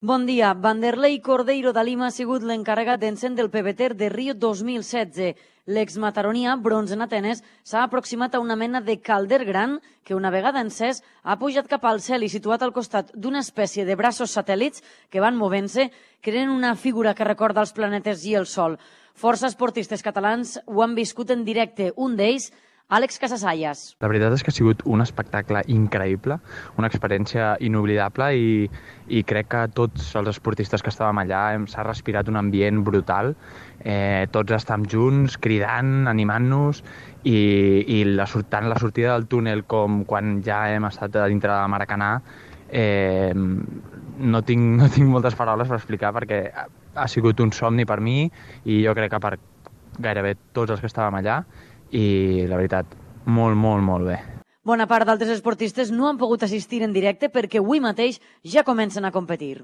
Bon dia. Vanderlei Cordeiro da Lima ha sigut l'encarregat d'encendre el PBT de Rio 2016. L'exmataronia, bronze en Atenes, s'ha aproximat a una mena de calder gran que, una vegada encès, ha pujat cap al cel i situat al costat d'una espècie de braços satèl·lits que van movent-se, creant una figura que recorda els planetes i el Sol. Força esportistes catalans ho han viscut en directe. Un d'ells, Àlex Casasallas. La veritat és que ha sigut un espectacle increïble, una experiència inoblidable i crec que tots els esportistes que estàvem allà s'ha respirat un ambient brutal. Tots estàvem junts, cridant, animant-nos i tant la sortida del túnel com quan ja hem estat a dintre de Maracanà no tinc moltes paraules per explicar perquè ha sigut un somni per mi i jo crec que per gairebé tots els que estàvem allà. I la veritat, molt bé. Bona part d'altres esportistes no han pogut assistir en directe perquè avui mateix ja comencen a competir.